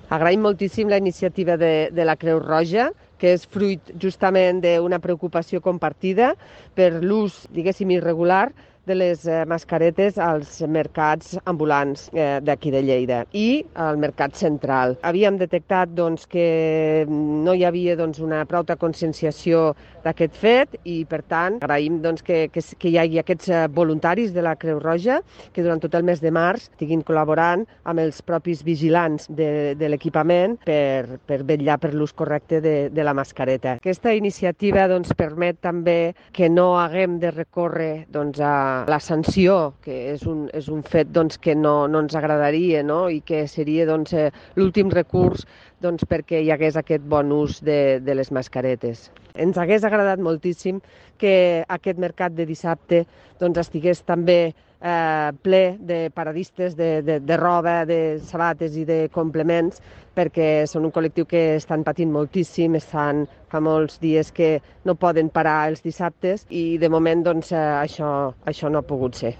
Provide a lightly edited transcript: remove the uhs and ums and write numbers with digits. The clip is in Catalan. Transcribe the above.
Agraïm moltíssim la iniciativa de la Creu Roja, que és fruit justament d'una preocupació compartida per l'ús, diguéssim, irregular de les mascaretes als mercats ambulants d'aquí de Lleida i al mercat central. Havíem detectat que no hi havia una prou conscienciació d'aquest fet i, per tant, agraïm que hi hagi aquests voluntaris de la Creu Roja que durant tot el mes de març estiguin col·laborant amb els propis vigilants de l'equipament per vetllar per l'ús correcte de la mascareta. Aquesta iniciativa permet també que no haguem de recórrer a la sanció, que és un fet que no ens agradaria, no? I que seria l'últim recurs perquè hi hagués aquest bon ús de les mascaretes. Ens hagués agradat moltíssim que aquest mercat de dissabte estigués també ple de paradistes de roba, de sabates i de complements, perquè són un col·lectiu que estan patint moltíssim, fa molts dies que no poden parar els dissabtes i de moment això no ha pogut ser.